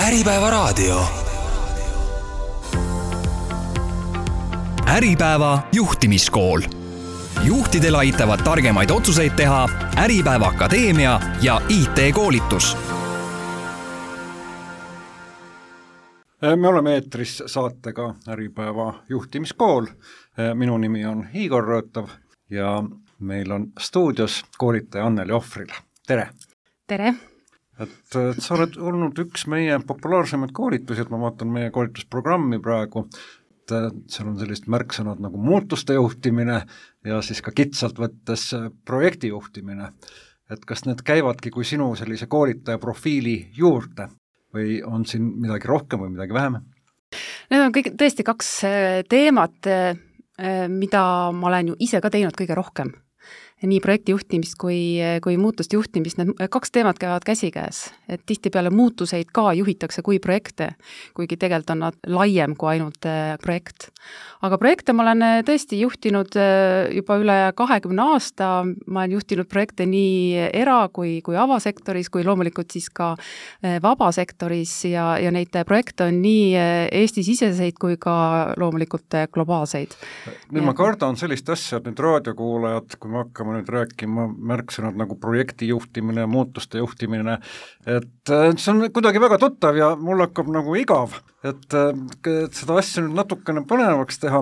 Äripäeva raadio. Äripäeva juhtimiskool. Juhtidel aitavad targemaid otsuseid teha Äripäeva Akadeemia ja IT-koolitus. Me oleme eetris saatega Äripäeva juhtimiskool. Minu nimi on Igor Rõõtav ja meil on stuudios koolitaja Anneli Ohvril. Tere! Tere! Et sa oled olnud üks meie populaarsemaid koolitusi, et ma vaatan meie koolitusprogrammi praegu, et seal on sellist märksõnad nagu muutuste juhtimine ja siis ka kitsalt võttes projekti juhtimine. Et kas need käivadki kui sinu sellise koolitaja profiili juurde või on siin midagi rohkem või midagi vähem? Need on kõik tõesti kaks teemat, mida ma olen ju ise ka teinud kõige rohkem. Nii projekti juhtimist kui muutuste juhtimist, need kaks teemat käivad käsikäes. Et tihtipeale muutuseid ka juhitakse kui projekte, kuigi tegelikult on nad laiem kui ainult projekt. Aga projekte ma olen tõesti juhtinud juba üle 20 aasta, ma olen juhtinud projekte nii era- kui avasektoris, kui loomulikult siis ka vabasektoris ja neid projekte on nii Eesti-siseseid kui ka loomulikult globaalseid. Nüüd ma kardan sellist asja, et nüüd raadiokuulajad, kui me hakkame nüüd rääkima märksõnad nagu projekti juhtimine ja muutuste juhtimine, et see on kuidagi väga tuttav ja mul hakkab nagu igav, et seda asja nüüd natukene põnevaks teha.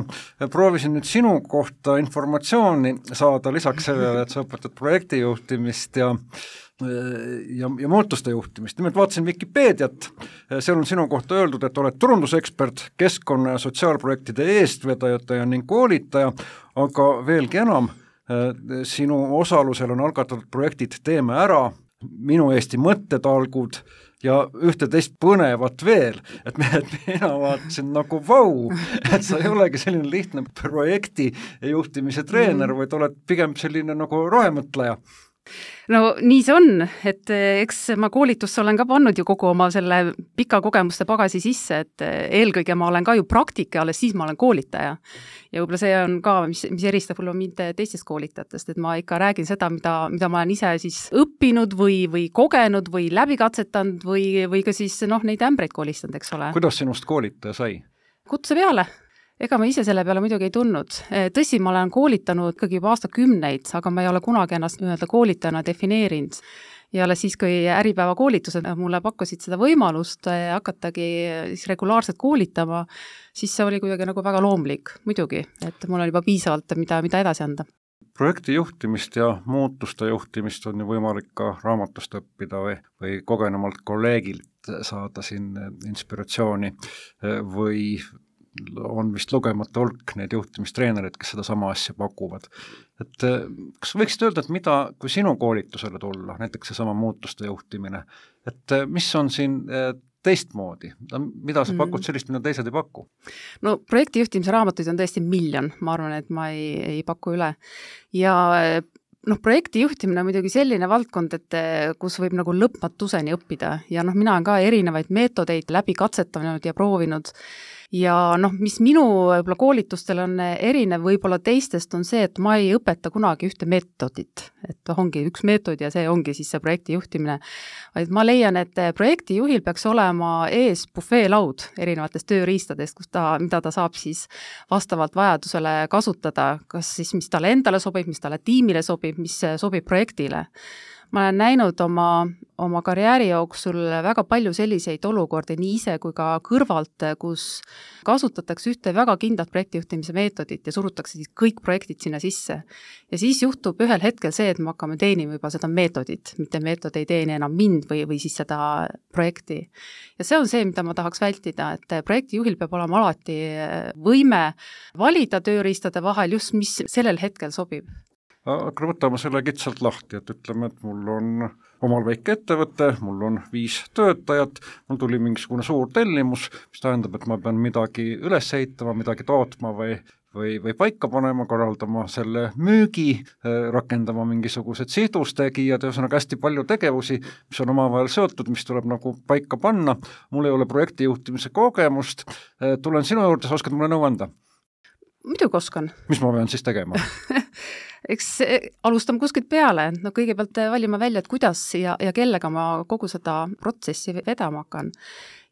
Proovisin nüüd sinu kohta informatsiooni saada lisaks sellele, et sa õpetad projekti juhtimist ja muutuste juhtimist. Nimelt vaatasin Wikipeediat, seal on sinu kohta öeldud, et oled turundusekspert, keskkonna- ja sotsiaalprojektide eestvedaja ning koolitaja, aga veelgi enam, sinu osalusel on algatatud projektid Teeme ära, Minu Eesti mõttetalgud ja ühte teist põnevat veel, et mina vaatasin nagu vau, et sa ei olegi selline lihtne projekti juhtimise treener, vaid oled pigem selline nagu rohemõtleja. No nii see on, et eks ma koolitusse olen ka pannud ju kogu oma selle pika kogemuste pagasi sisse, et eelkõige ma olen ka ju praktika, alles siis ma olen koolitaja. Ja võib-olla see on ka, mis eristab mind teistest koolitajatest, et ma ikka räägin seda, mida ma olen ise siis õppinud või kogenud või läbikatsetanud või ka siis neid ämbreid koolistanud, eks ole. Kuidas sinust koolitaja sai? Kutse peale. Ega ma ise selle peale muidugi ei tundnud. Tõsi, ma olen koolitanud ikkagi juba aastakümneid, aga ma ei ole kunagi ennast koolitajana defineerinud. Ja alles siis, kui Äripäeva koolitused mulle pakkusid seda võimalust hakatagi siis regulaarselt koolitama, siis see oli kuidagi nagu väga loomlik, muidugi, et mul on juba piisavalt, mida edasi anda. Projekti juhtimist ja muutuste juhtimist on ju võimalik ka raamatust õppida või kogenumalt kolleegilt saada siin inspiratsiooni või on vist lugemata hulk neid juhtimistreenereid, kes seda sama asja pakuvad. Et kas võiksid öelda, et mida, kui sinu koolitusele tulla, näiteks see sama muutuste juhtimine, et mis on siin teistmoodi? Mida sa pakud sellist, mida teised ei paku? No projekti juhtimise raamatuid on tõesti miljon, ma arvan, et ma ei paku üle. Ja projekti juhtimine on muidugi selline valdkond, et kus võib nagu lõpmatuseni õppida ja mina olen ka erinevaid meetodeid läbi katsetanud ja proovinud. Ja mis minu võib-olla koolitustel on erinev võib-olla teistest on see, et ma ei õpeta kunagi ühte meetodit, et ongi üks meetod ja see ongi siis see projekti juhtimine. Vaid ma leian, et projekti juhil peaks olema ees bufeelaud erinevatest tööriistadest, mida ta saab siis vastavalt vajadusele kasutada, kas siis mis talle endale sobib, mis talle tiimile sobib, mis sobib projektile. Ma olen näinud oma karjääri jooksul väga palju selliseid olukordi nii ise kui ka kõrvalt, kus kasutatakse ühte väga kindlat projektijuhtimise meetodit ja surutakse siis kõik projektid sinna sisse. Ja siis juhtub ühel hetkel see, et me hakkame teenima juba seda meetodit, mitte meetod ei teeni enam mind või siis seda projekti. Ja see on see, mida ma tahaks vältida, et projektijuhil peab olema alati võime valida tööriistade vahel just, mis sellel hetkel sobib. Aga võtame selle kitsalt lahti, et ütleme, et mul on omal väike ettevõte, mul on 5 töötajat, mul tuli mingisugune suur tellimus, mis tähendab, et ma pean midagi üles ehitama, midagi tootma või paika panema, korraldama selle müügi, rakendama mingisugused sidustegijad, ühesõnaga hästi palju tegevusi, mis on omavahel seotud, mis tuleb nagu paika panna. Mul ei ole projekti juhtimise kogemust, tulen sinu juurde, sa oskad mulle nõu anda? Muidugi oskan. Mis ma pean siis tegema? eks alustame kuskilt peale, no kõigepealt valima välja, et kuidas ja kellega ma kogu seda protsessi vedama hakkan.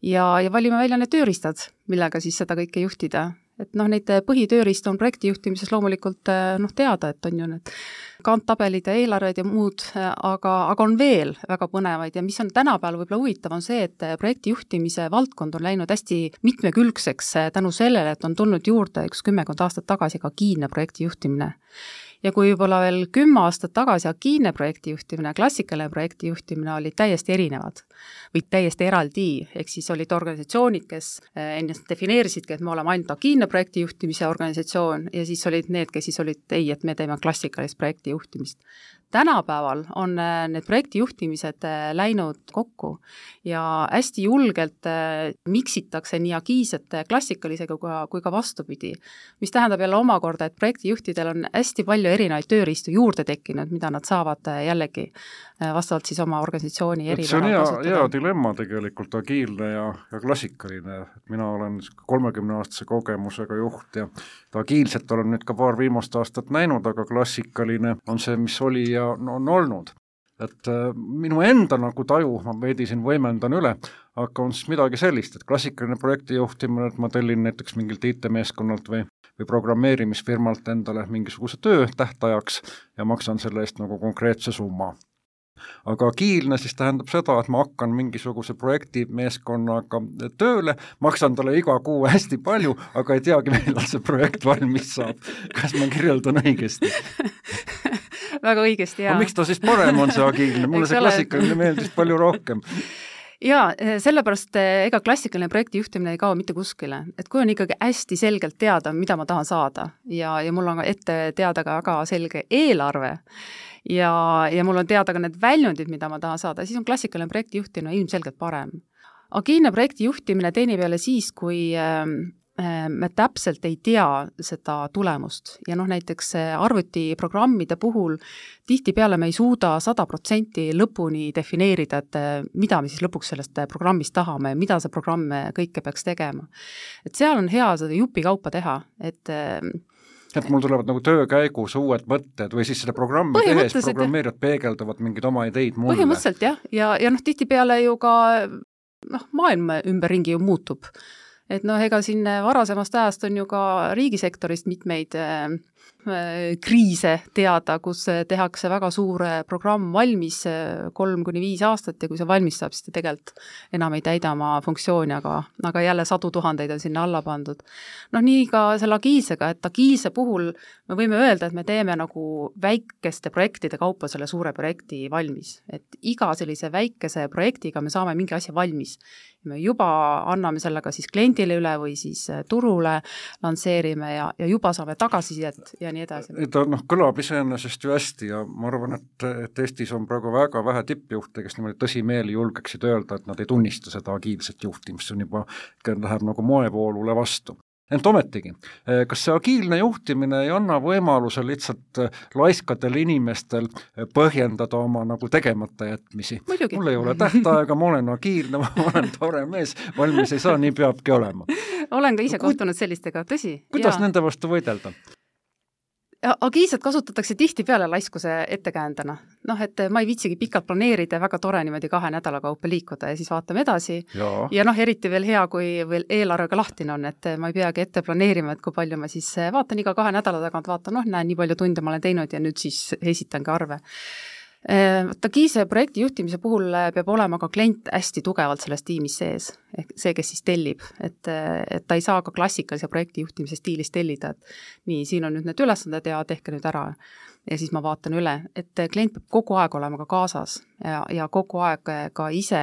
Ja valime välja need tööriistad, millega siis seda kõike juhtida. Et noh, neid põhitööriist on projekti juhtimises loomulikult teada, et on ju need kanttabelid ja eelarved ja muud, aga on veel väga põnevaid ja mis on tänapäeval võib-olla huvitav, on see, et projekti juhtimise valdkond on läinud hästi mitmekülgseks tänu sellele, et on tulnud juurde 10 aastat tagasi ka agiilne projekti juhtimine. Ja kui võib-olla veel 10 aastat tagasi agiilne projekti juhtimine ja klassikaline projekti juhtimine olid täiesti erinevad või täiesti eraldi, ehk siis olid organisatsioonid, kes ennast defineerisidki, et me oleme ainult agiilne projekti juhtimise organisatsioon ja siis olid need, kes siis olid et me teeme klassikalist projekti juhtimist. Tänapäeval on need projekti juhtimised läinud kokku ja hästi julgelt miksitakse nii agiilset klassikalisega kui ka vastupidi, mis tähendab jälle omakorda, et projektijuhtidel on hästi palju erinevaid tööriistu juurde tekkinud, mida nad saavad jällegi vastavalt siis oma organisatsiooni eripära kasutada. See on hea dilemma tegelikult, agiilne ja klassikaline. Mina olen 30-aastase kogemusega juht ja agiilset olen nüüd ka paar viimast aastat näinud, aga klassikaline on see, mis oli ja on olnud. Et minu enda nagu taju, ma veidi siin võimendan üle, aga on siis midagi sellist, et klassikaline projekti juhtimine, et ma tellin näiteks mingilt IT-meeskonnalt või programmeerimisfirmalt endale mingisuguse töö tähtajaks ja maksan selle eest nagu konkreetse summa. Aga agiilne siis tähendab seda, et ma hakkan mingisuguse projektimeeskonnaga tööle, maksan talle iga kuu hästi palju, aga ei teagi, millal see projekt valmis saab. Kas ma kirjeldan õigesti? Väga õigesti, jaa. Miks ta siis parem on see agiilne? Mulle see klassikaline meeldis palju rohkem. Jaa, sellepärast ega klassikaline projekti juhtimine ei kao mitte kuskile. Et kui on ikkagi hästi selgelt teada, mida ma tahan saada ja mul on ette teada ka väga selge eelarve ja mul on teada ka need väljundid, mida ma tahan saada, siis on klassikaline projekti juhtimine ilmselgelt parem. Agiilne projekti juhtimine teenib jälle siis, kui me täpselt ei tea seda tulemust ja näiteks arvutiprogrammide puhul tihtipeale me ei suuda 100% lõpuni defineerida, et mida me siis lõpuks sellest programmist tahame ja mida see programm kõike peaks tegema. Et seal on hea seda jupikaupa teha, et mul tulevad nagu töö käigus uued mõtted või siis seda programmi tehes programmeerijad peegeldavad mingeid oma ideid mulle. Põhimõtteliselt jah, ja tihtipeale ju ka maailm ümberringi ju muutub. Et ega siin varasemast ajast on ju ka riigisektorist mitmeid kriise teada, kus tehakse väga suur programm valmis 3-5 aastat ja kui see valmis saab, siis ta tegelikult enam ei täida oma funktsiooni, aga jälle 100 000 on sinna alla pandud. Nii ka selle agiilsega, et agiilse puhul me võime öelda, et me teeme nagu väikeste projektide kaupa selle suure projekti valmis. Et iga sellise väikese projektiga me saame mingi asja valmis. Me juba anname sellega siis kliendile üle või siis turule lansseerime ja juba saame tagasisidet ja nii edasi. Ta kõlab iseenesest ju hästi ja ma arvan, et Eestis on praegu väga vähe tippjuhte, kes niimoodi tõsimeeli julgeksid öelda, et nad ei tunnista seda agiilset juhtimist, see on juba, läheb nagu moevoolule vastu. Ent ometigi, kas see agiilne juhtimine ei anna võimaluse lihtsalt laiskadel inimestel põhjendada oma nagu tegemata jätmisi? Muidugi. Mul ei ole tähtaega, ma olen agiilne, ma olen tore mees, valmis ei saa, nii peabki olema. Olen ka ise kohtunud sellistega, tõsi. Kuidas nende vastu võidelda? Agiilset kasutatakse tihtipeale laiskuse ettekäändena. Et ma ei viitsigi pikalt planeerida, väga tore niimoodi 2 nädala kaupa liikuda ja siis vaatame edasi. Ja eriti veel hea, kui veel eelarvega lahtine on, et ma ei peagi ette planeerima, et kui palju ma siis vaatan iga 2 nädala tagant, vaatan, nii palju tunde ma olen teinud ja nüüd siis esitangi arve. Agiilse projekti juhtimise puhul peab olema ka klient hästi tugevalt selles tiimis sees, ehk see, kes siis tellib, et ta ei saa ka klassikalise projekti juhtimise stiilis tellida, et nii, siin on nüüd need ülesanded ja tehke nüüd ära ja siis ma vaatan üle, et klient peab kogu aeg olema ka kaasas ja kogu aeg ka ise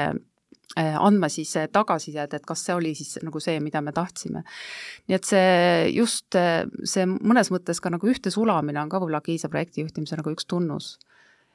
andma siis tagasisidet, et kas see oli siis nagu see, mida me tahtsime. Nii et see mõnes mõttes ka nagu ühte sulamine on ka võib-olla agiilse projekti juhtimise nagu üks tunnus.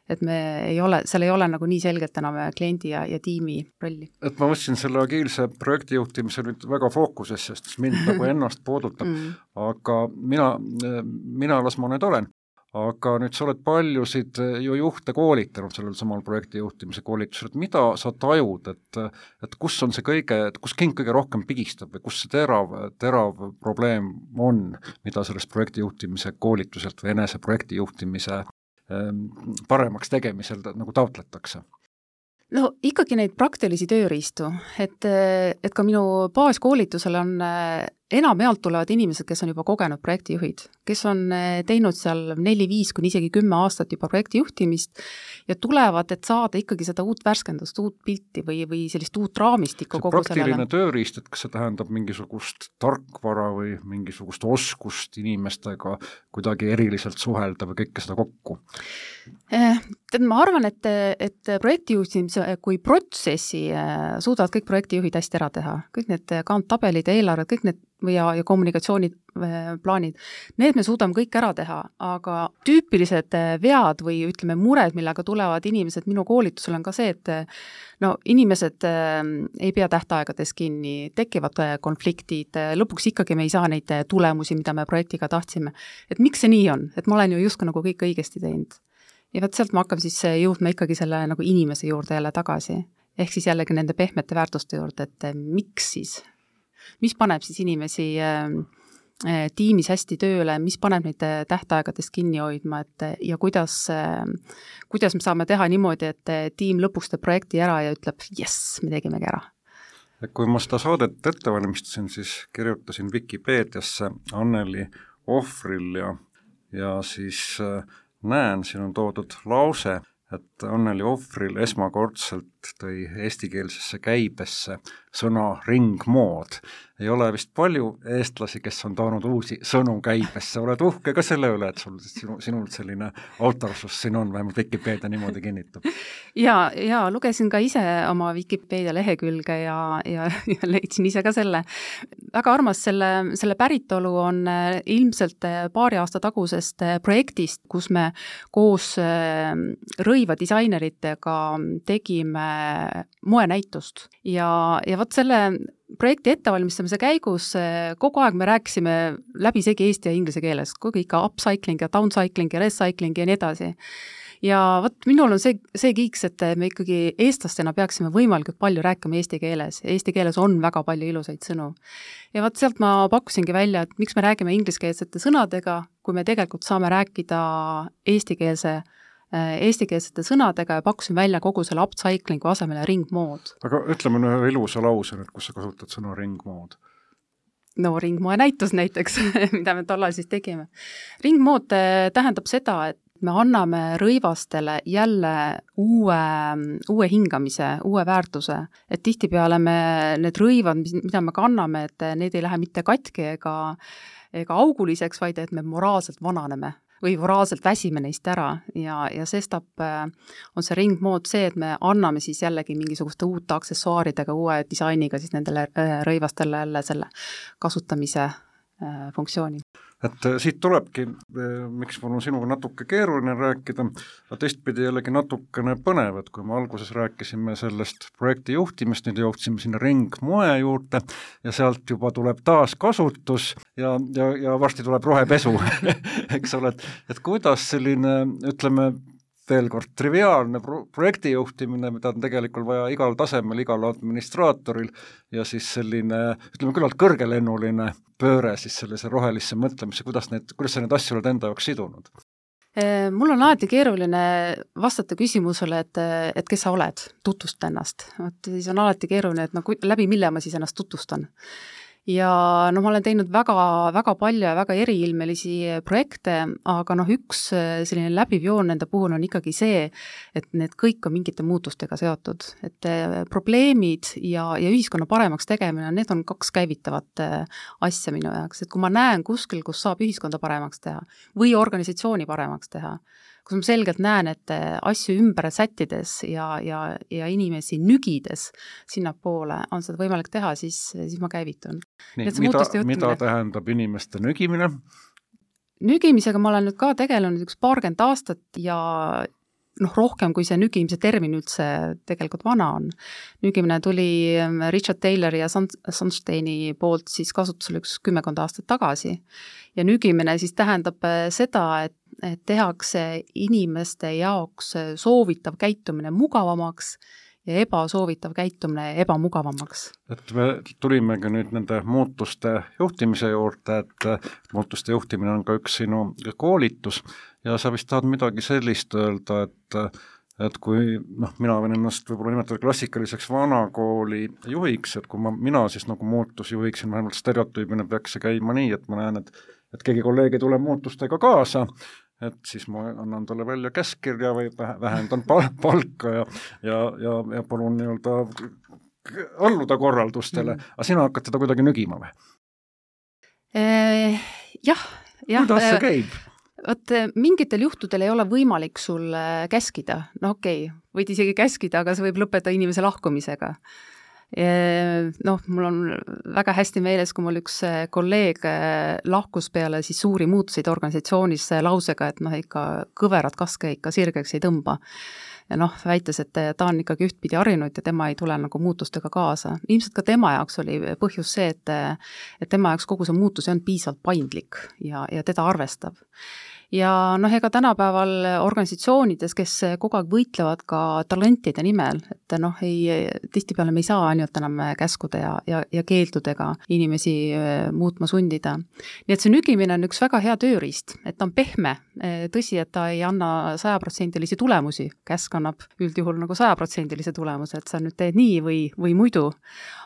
Et seal ei ole nagu nii selgelt enam kliendi ja tiimi rolli. Et ma võtsin selle agiilse projekti juhtimise nüüd väga fookusesse, sest mind nagu ennast puudutab, aga mina las ma nüüd olen. aga nüüd sa oled paljusid ju juhte koolitanud sellel samal projekti juhtimise koolitusel, et mida sa tajud, et kus on see kus king kõige rohkem pigistab või kus see terav probleem on, mida sellest projekti juhtimise koolituselt või enese projekti juhtimise paremaks tegemisel nagu taotletakse? No ikkagi neid praktilisi tööriistu, et ka minu baaskoolitusel on enamjaolt tulevad inimesed, kes on juba kogenud projektijuhid, kes on teinud seal 4-5 kuni isegi 10 aastat juba projekti juhtimist ja tulevad, et saada ikkagi seda uut värskendust, uut pilti või sellist uut raamistikku kogu sellele. Praktiline tööriist, et kas see tähendab mingisugust tarkvara või mingisugust oskust inimestega kuidagi eriliselt suhelda või kõike seda kokku? Ma arvan, et projektijuhtimise kui protsessi suudavad kõik projektijuhid hästi ära teha. Kõik need kanttabelid ja eelarved, kõik need ja kommunikatsiooniplaanid, need me suudame kõik ära teha, aga tüüpilised vead või ütleme mured, millega tulevad inimesed minu koolitusel on ka see, et inimesed ei pea tähtaegades kinni, tekivad konfliktid, lõpuks ikkagi me ei saa neid tulemusi, mida me projektiga tahtsime. Et miks see nii on? Et ma olen ju justkui nagu kõik õigesti teinud. Ja võt sealt ma hakkam siis jõudma ikkagi selle nagu inimese juurde jälle tagasi. Ehk siis jällegi nende pehmete väärtuste juurde, et miks siis? Mis paneb siis inimesi tiimis hästi tööle, mis paneb neid tähtaegadest kinni hoidma, ja kuidas me saame teha niimoodi, et tiim lõpuks teeb projekti ära ja ütleb, jess, me tegimegi ära. Kui ma seda saadet ette valmistasin, siis kirjutasin Wikipeediasse Anneli Ohvril ja siis näen, siin on toodud lause, et Anneli Ohvril esmakordselt tõi eestikeelsesse käibesse sõna ringmood. Ei ole vist palju eestlasi, kes on toonud uusi sõnu käibesse. Oled uhke ka selle üle, et sinul selline autorsus siin on, vähemalt Wikipedia niimoodi kinnitab. Ja lugesin ka ise oma Wikipedia lehekülge ja leidsin ise ka selle. Väga armas selle päritolu on ilmselt paari aasta tagusest projektist, kus me koos rõiva disaineritega tegime moenäitust ja vot selle projekti ettevalmistamise käigus kogu aeg me rääkisime läbi segi eesti ja inglise keeles, kogu ikka upcycling ja downcycling ja recycling ja nii edasi. Ja vot minul on see kiiks, et me ikkagi eestlastena peaksime võimalikult palju rääkima eesti keeles. Eesti keeles on väga palju ilusaid sõnu. Ja vot sealt ma pakkusingi välja, et miks me räägime ingliskeelsete sõnadega, kui me tegelikult saame rääkida eestikeelsete sõnadega ja pakkusin välja kogu selle upcyclingu asemele ringmood. Aga ütleme ühe ilusa lause, kus sa kasutad sõna ringmood. No ringmoe näitus näiteks, mida me tollal siis tegime. Ringmood tähendab seda, et me anname rõivastele jälle uue hingamise, uue väärtuse. Et tihtipeale need rõivad, mida me kanname, et need ei lähe mitte katki ega auguliseks, vaid et me moraalselt vananeme või moraalselt väsime neist ära ja sestap on see ringmood see, et me anname siis jällegi mingisuguste uute aksessuaaridega, uue disainiga siis nendele rõivastele jälle selle kasutamise funktsiooni. Et siit tulebki, miks mul on sinuga natuke keeruline rääkida, aga teistpidi jällegi natukene põnev, et kui me alguses rääkisime sellest projekti juhtimist, nüüd jõudsime sinna ringmoe juurde ja sealt juba tuleb taaskasutus ja varsti tuleb rohepesu, eks ole, et kuidas selline, ütleme, veel kord triviaalne projekti juhtimine, mida on tegelikult vaja igal tasemel, igal administraatoril ja siis selline, ütleme, küllalt kõrgelennuline pööre siis sellise rohelisse mõtlemisse, kuidas sa need asju oled enda jaoks sidunud? Mul on alati keeruline vastata küsimusele, et kes sa oled, tutvusta ennast. Siis on alati keeruline, et läbi mille ma siis ennast tutvustan. Ja ma olen teinud väga palju ja väga eriilmelisi projekte, aga üks selline läbiv joon nende puhul on ikkagi see, et need kõik on mingite muutustega seotud. Et probleemid ja ühiskonna paremaks tegemine, need on kaks käivitavat asja minu jaoks. Et kui ma näen kuskil, kus saab ühiskonda paremaks teha või organisatsiooni paremaks teha, kus ma selgelt näen, et asju ümber sättides ja inimesi nügides sinnapoole on seda võimalik teha, siis ma käivitun. Nii, mida tähendab inimeste nügimine? Nügimisega ma olen nüüd ka tegelenud 20 aastat ja rohkem kui see nügimise termin üldse tegelikult vana on. Nügimine tuli Richard Taylori ja Sunsteini poolt siis kasutusele 10 aastat tagasi. Ja nügimine siis tähendab seda, et tehakse inimeste jaoks soovitav käitumine mugavamaks ja ebasoovitav käitumine ebamugavamaks. Et me tulimegi nüüd nende muutuste juhtimise juurde, et muutuste juhtimine on ka üks sinu koolitus ja sa vist tahad midagi sellist öelda, et kui mina võin ennast võib-olla nimetada klassikaliseks vanakooli juhiks, et kui mina siis nagu muutusjuhiksin, vähemalt stereotüübina peaks see käima nii, et ma näen, et keegi kolleeg ei tule muutustega kaasa, et siis ma annan talle välja käskkirja või vähendan palka ja palun nii-öelda alluda korraldustele, aga sina hakkad teda kuidagi nügima või? Jah. Kuidas see käib? Vot mingitel juhtudel ei ole võimalik sul käskida, võid isegi käskida, aga see võib lõpetada inimese lahkumisega. Mul on väga hästi meeles, kui mul üks kolleeg lahkus peale siis suuri muutuseid organisatsioonis lausega, et ikka kõverad kaske ikka sirgeks ei tõmba. Ja väites, et ta on ikkagi ühtpidi harjunud ja tema ei tule nagu muutustega kaasa. Ilmselt ka tema jaoks oli põhjus see, et tema jaoks kogu see muutus on piisavalt paindlik ja teda arvestab. Ja ega tänapäeval organisatsioonides, kes kogu aeg võitlevad ka talentide nimel, et tihtipeale me ei saa ainult enam käskude ja keeldudega inimesi muutma sundida. Nii et see nügimine on üks väga hea tööriist, et ta on pehme. Tõsi, et ta ei anna 100% tulemusi, käsk annab üldjuhul nagu 100% tulemuse, et sa nüüd teed nii või muidu.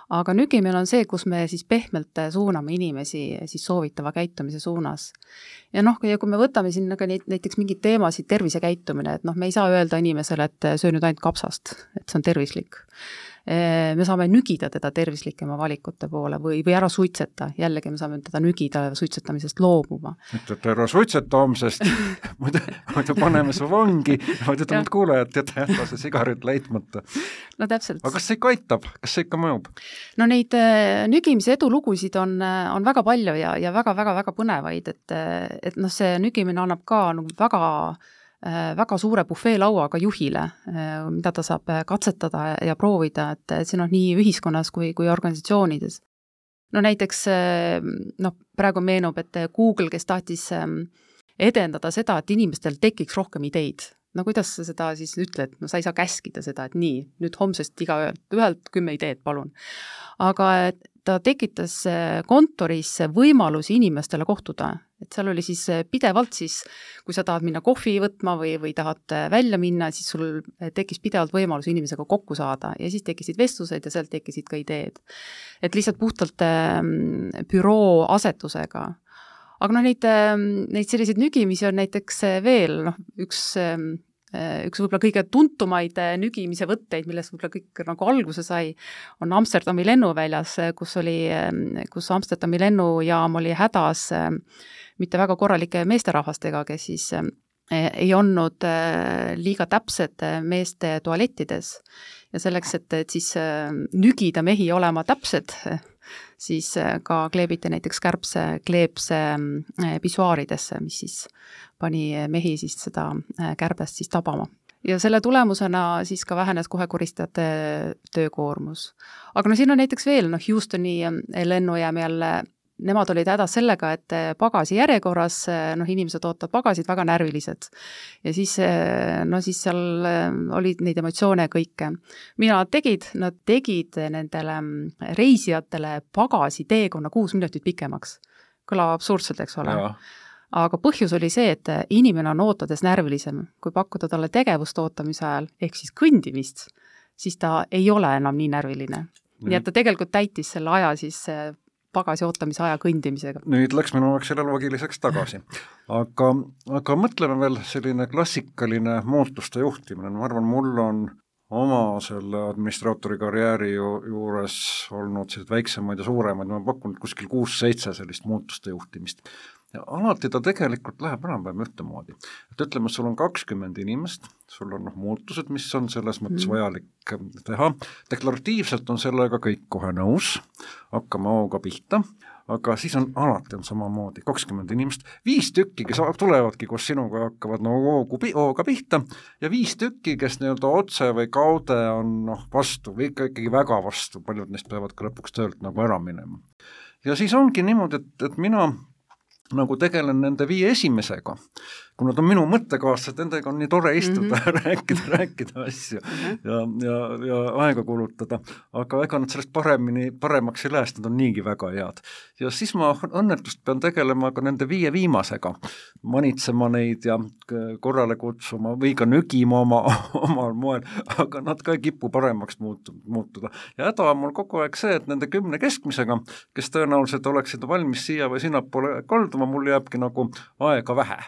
Aga nügimine on see, kus me siis pehmelt suuname inimesi siis soovitava käitumise suunas. Ja kui me võtame siin näiteks mingid teemasid, tervisekäitumine, et me ei saa öelda inimesele, et söö nüüd ainult kapsast, et see on tervislik. Me saame nügida teda tervislikema valikute poole või ära suitseta. Jällegi me saame teda nügida suitsetamisest loobuma. Et ära suitseta homsest, muidu paneme su vangi, ütleme, et kuule, et jäta see sigaret leitmata. Täpselt. Aga kas see ikka aitab? Kas see ikka mõjub? Neid nügimise edulugusid on väga palju ja väga põnevaid, et see nügimine annab ka väga suure bufeelauaga juhile, mida ta saab katsetada ja proovida, et siin on nii ühiskonnas kui organisatsioonides. Näiteks praegu meenub, et Google, kes tahtis edendada seda, et inimestel tekiks rohkem ideid. Kuidas sa seda siis ütled? Sa ei saa käskida seda, et nii, nüüd homsest ühelt 10 ideed, palun. Aga ta tekitas kontoris võimalusi inimestele kohtuda. Et seal oli siis pidevalt siis, kui sa tahad minna kohvi võtma või tahad välja minna, siis sul tekkis pidevalt võimalus inimesega kokku saada ja siis tekkisid vestlused ja sealt tekkisid ka ideed. Et lihtsalt puhtalt büroo asetusega. Aga neid selliseid nügimisi on näiteks veel üks võib-olla kõige tuntumaid nügimise võtteid, millest võib-olla kõik nagu alguse sai, on Amsterdami lennuväljas, kus Amsterdami lennujaam oli hädas mitte väga korralike meesterahvastega, kes siis ei olnud liiga täpsed meeste tualettides. Ja selleks, et siis nügida mehi olema täpsed, siis ka kleebiti näiteks kleepse pisuaaridesse, mis siis pani mehi siis seda kärbest siis tabama. Ja selle tulemusena siis ka vähenes kohe koristajate töökoormus. Aga siin on näiteks veel Houstoni lennujaam jälle, nemad olid hädas sellega, et pagasi järjekorras, inimesed ootavad pagasid väga närvilised. Ja siis seal olid neid emotsioone kõike. Mida nad tegid nendele reisijatele pagasi teekonna 6 minutit pikemaks. Kõlab absurdselt, eks ole. Ja. Aga põhjus oli see, et inimene on ootades närvilisem. Kui pakkuda talle tegevust ootamise ajal, ehk siis kõndimist, siis ta ei ole enam nii närviline. Nii et ta tegelikult täitis selle aja siis pagasi ootamise aja kõndimisega. Nüüd läks minu selle loogiliseks tagasi. Aga mõtleme veel selline klassikaline muutuste juhtimine. Ma arvan, mul on oma selle administraatori karjääri juures olnud sellised väiksemaid ja suuremaid, ma pakun kuskil 6-7 sellist muutuste juhtimist. Ja alati ta tegelikult läheb enam-vähem ühtemoodi. Et ütleme, sul on 20 inimest, sul on muutused, mis on selles mõttes vajalik teha. Deklaratiivselt on sellega kõik kohe nõus, hakkame hooga pihta, aga siis on alati samamoodi 20 inimest, 5 tükki, kes tulevadki koos sinuga ja hakkavad hooga pihta ja 5 tükki, kes nii-öelda otse või kaude on vastu või ikkagi väga vastu, paljud neist peavad ka lõpuks töölt ära minema. Ja siis ongi niimoodi, et mina tegelen nende 5 esimesega, kui nad on minu mõttekaaslased, nendega on nii tore istuda ja rääkida asju ja aega kulutada, aga ega nad sellest paremaks ei lähe, sest nad on niigi väga head. Ja siis ma õnnetust pean tegelema ka nende 5 viimasega, manitsema neid ja korrale kutsuma või ka nügima omal moel, aga nad ka ei kipu paremaks muutuda. Ja häda on mul kogu aeg see, et nende 10 keskmisega, kes tõenäoliselt oleksid valmis siia või sinnapoole kalduma, mul jääbki aega vähe.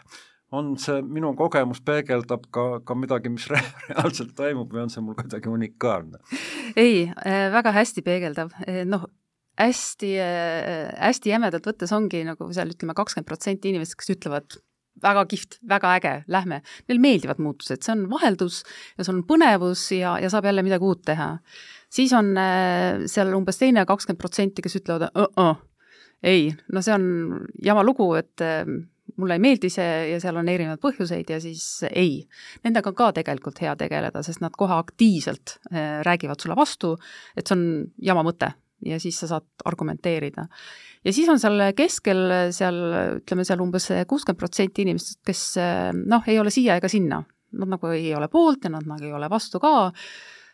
On see minu kogemus peegeldab ka midagi, mis reaalselt toimub või on see mul kuidagi unikaalne? Ei, väga hästi peegeldav. Hästi jämedalt võttes ongi seal 20% inimesed, kes ütlevad väga kihvt, väga äge, lähme. Neil meeldivad muutused, see on vaheldus ja see on põnevus ja saab jälle midagi uut teha. Siis on seal umbes teine 20%, kes ütlevad, ei, see on jama lugu, et mulle ei meeldi see ja seal on erinevad põhjuseid ja siis ei. Nendega on ka tegelikult hea tegeleda, sest nad kohe aktiivselt räägivad sulle vastu, et see on jama mõte ja siis sa saad argumenteerida. Ja siis on seal keskel, seal umbes 60% inimesed, kes ei ole siia ega sinna. Nad ei ole poolt ja nad ei ole vastu ka.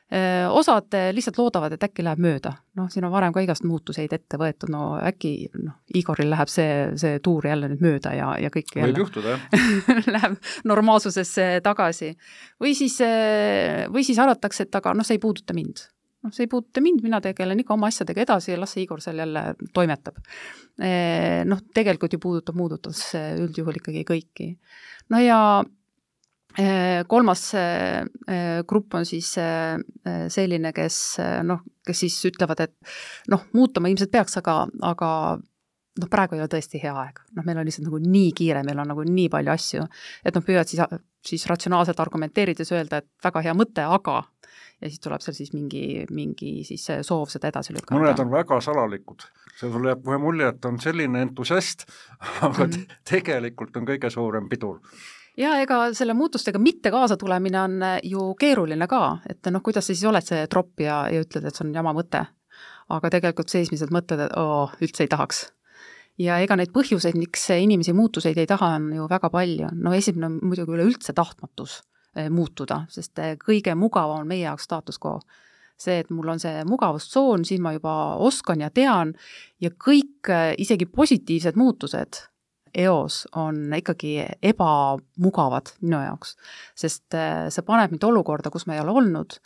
Osad lihtsalt loodavad, et äkki läheb mööda. Siin on varem ka igast muutuseid ette võetud, äkki Igoril läheb see tuur jälle nüüd mööda ja kõik jälle võib juhtuda, jah. Läheb normaalsusesse tagasi. Või siis arvatakse, et aga see ei puuduta mind. See ei puuduta mind, mina tegelen ikka oma asjadega edasi ja las see Igor seal jälle toimetab. Tegelikult ju puudutas üldjuhul ikkagi kõiki. Ja kolmas grupp on siis selline, kes siis ütlevad, et muutuma ilmselt peaks, aga praegu ei ole tõesti hea aeg. Meil on lihtsalt nii kiire, meil on nii palju asju, et püüavad siis ratsionaalselt argumenteerida ja öelda, et väga hea mõte, aga ja siis tuleb seal siis mingi siis soov seda edasi lükata. Mõned on väga salalikud. See sul jääb kohe mulje, et on selline entusiast, aga tegelikult on kõige suurem pidur. Ja ega selle muutustega mitte kaasa tulemine on ju keeruline ka, et kuidas sa siis oled see tropp ja ütled, et see on jama mõte. Aga tegelikult seismised mõtled, et üldse ei tahaks. Ja ega neid põhjuseid, miks inimesi muutuseid ei taha, on ju väga palju. Esimene on muidugi üleüldse tahtmatus muutuda, sest kõige mugavam on meie jaoks status quo. See, et mul on see mugavustsoon, siis ma juba oskan ja tean ja kõik isegi positiivsed muutused eos on ikkagi ebamugavad minu jaoks, sest see paneb mind olukorda, kus ma ei ole olnud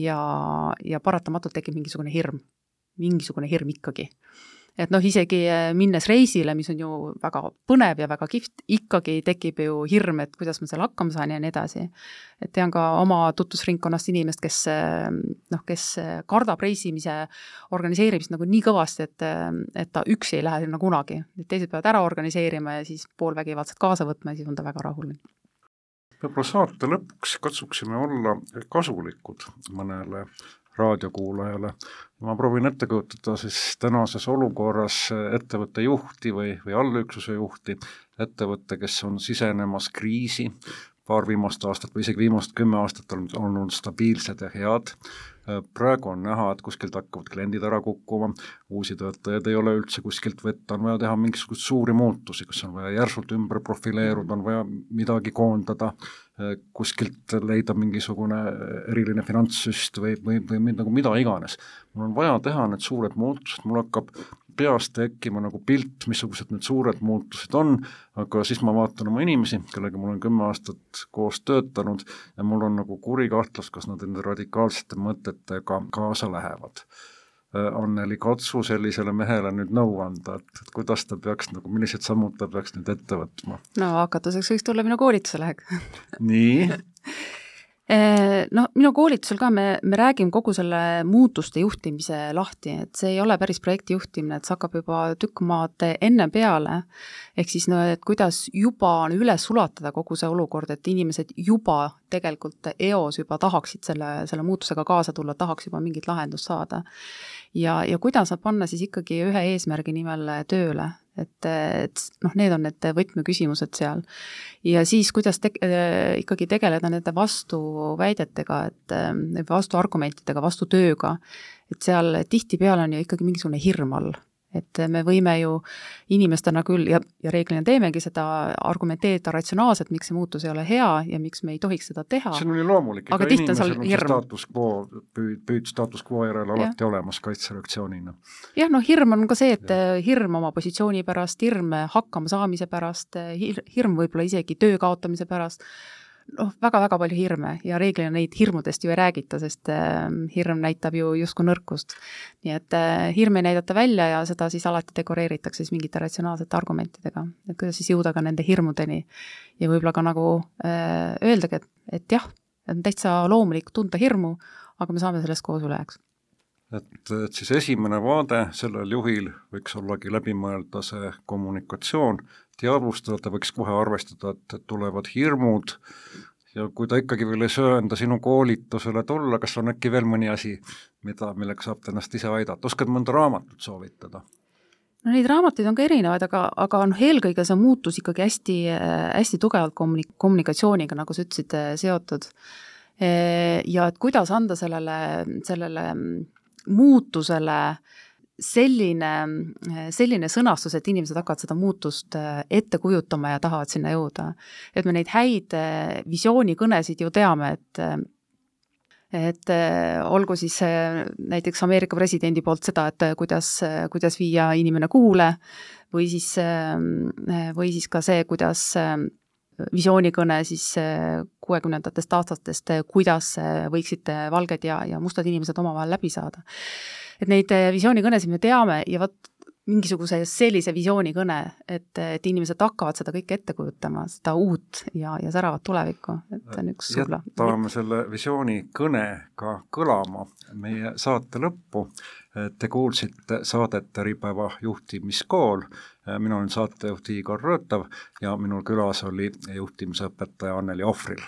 ja paratamatult tekib mingisugune hirm ikkagi. Et isegi minnes reisile, mis on ju väga põnev ja väga kihvt, ikkagi tekib ju hirm, et kuidas ma seal hakkama saan ja nii edasi. Et tean ka oma tutvusringkonnast inimest, kes kardab reisimise organiseerimist nii kõvasti, et ta üksi ei lähe sinna kunagi. Teised peavad ära organiseerima ja siis poolvägivaldselt kaasa võtma ja siis on ta väga rahuline. Võib-olla saate lõpuks katsuksime olla kasulikud mõnele raadiokuulajale. Ma proovin ette kujutada siis tänases olukorras ettevõtte juhti või allüksuse juhti, ettevõtte, kes on sisenemas kriisi, paar viimast aastat või isegi viimast 10 aastat on olnud stabiilsed ja head. Praegu on näha, et kuskilt hakkavad kliendid ära kukkuma, uusi töötajaid ei ole üldse kuskilt võtta, on vaja teha mingisugust suuri muutusi, kus on vaja järsult ümber profileeruda, on vaja midagi koondada, kuskilt leida mingisugune eriline finantssüst või mida iganes. Mul on vaja teha need suured muutused, mul hakkab peast tekkima pilt, missugused need suured muutused on, aga siis ma vaatan oma inimesi, kellega mul on 10 aastat koos töötanud ja mul on kuri kahtlus, kas nad enda radikaalsete mõtetega kaasa lähevad. Anneli, katsu sellisele mehele nüüd nõu anda, et kuidas ta peaks, millised sammud ta peaks nüüd ette võtma? Hakatuseks võiks tulla minu koolituse läheg. Nii? No minu koolitusel ka me räägime kogu selle muutuste juhtimise lahti, et see ei ole päris projekti juhtimine, et see hakkab juba tükk maad enne peale, ehk siis no, et kuidas juba üles sulatada kogu see olukord, et inimesed juba tegelikult eos juba tahaksid selle muutusega kaasa tulla, tahaks juba mingit lahendust saada. Ja kuidas nad panna siis ikkagi ühe eesmärgi nimel tööle, et noh, need on need võtmeküsimused seal. Ja siis, kuidas ikkagi tegeleda nende vastuväidetega, et vastuargumentidega, vastutööga, et seal tihtipeale on ju ikkagi mingisugune hirm all. Et me võime ju inimestena küll, ja reeglina teemegi seda argumenteerida ratsionaalselt, miks see muutus ei ole hea ja miks me ei tohiks seda teha. See on loomulik, aga tihti on seal hirm. Status quo järel alati olemas kaitsereaktsioonina. Jah, no hirm on ka see, et hirm oma positsiooni pärast, hirm hakkama saamise pärast, hirm võib-olla isegi töö kaotamise pärast, väga-väga palju hirme ja reeglina neid hirmudest ju ei räägita, sest hirm näitab ju justkui nõrkust. Nii et hirm ei näidata välja ja seda siis alati dekoreeritakse siis mingite ratsionaalsete argumentidega, et kuidas siis jõuda ka nende hirmudeni ja võib-olla ka nagu öeldagi, et jah, on täitsa loomulik tunda hirmu, aga me saame sellest koos üle, eks. Et siis esimene vaade sellel juhil võiks ollagi läbimõelda see kommunikatsioon, teadvustada, ta võiks kohe arvestada, et tulevad hirmud ja kui ta ikkagi veel ei söönda sinu koolitusele tulla, kas on äkki veel mõni asi, millega saab ennast ise aidata? Oskad mõnda raamatut soovitada? No neid raamatuid on ka erinevaid, aga eelkõige see muutus ikkagi hästi tugevalt kommunikatsiooniga, nagu sa ütlesid, seotud. Ja et kuidas anda sellele muutusele selline sõnastus, et inimesed hakkavad seda muutust ette kujutama ja tahavad sinna jõuda. Et me neid häid visioonikõnesid ju teame, et olgu siis näiteks Ameerika presidendi poolt seda, et kuidas viia inimene kuule või siis ka see, kuidas visioonikõne siis 60-ndatest aastatest, kuidas võiksid valged ja mustad inimesed omavahel läbi saada. Et neid visioonikõnesid me teame ja mingisuguse sellise visioonikõne, et inimesed hakkavad seda kõike ette kujutama, seda uut ja säravat tulevikku. Et on üks subla. Jätame selle visioonikõne ka kõlama meie saate lõppu. Te kuulsite saadet Äripäeva juhtimiskool. Minul on saatejuht Igor Rõõtav ja minul külas oli juhtimisõpetaja Anneli Ohvril.